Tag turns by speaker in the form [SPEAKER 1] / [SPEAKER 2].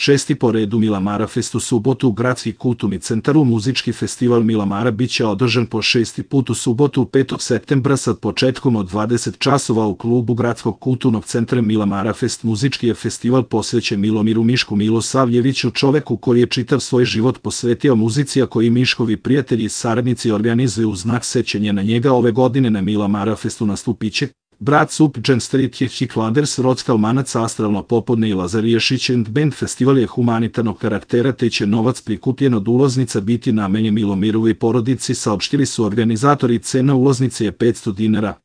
[SPEAKER 1] Šesti po redu Milamara Fest u subotu u Gradski kulturni centar. Muzički festival Milamara biće održan po 6. put u subotu 5. septembra sa početkom od 20 časova u klubu Gradskog kulturnog centra. Milamara Fest muzički je festival posvećen Milomiru Mišku Milosavljeviću, čoveku koji je čitav svoj život posvetio muzici, a koji Miškovi prijatelji i saradnici organizuju u znak sećanja na njega. Ove godine na Milamara Festu nastupiće Brat Sup, Jam Street Hikladers, Rockal Manac, Astralno popodne i Lazar Ješić and Band. Festival je humanitarnog karaktera te će novac prikupljen od ulaznica biti namenjen Milomirovoj porodici, saopštili su organizatori. Cena ulaznice je 500 dinara.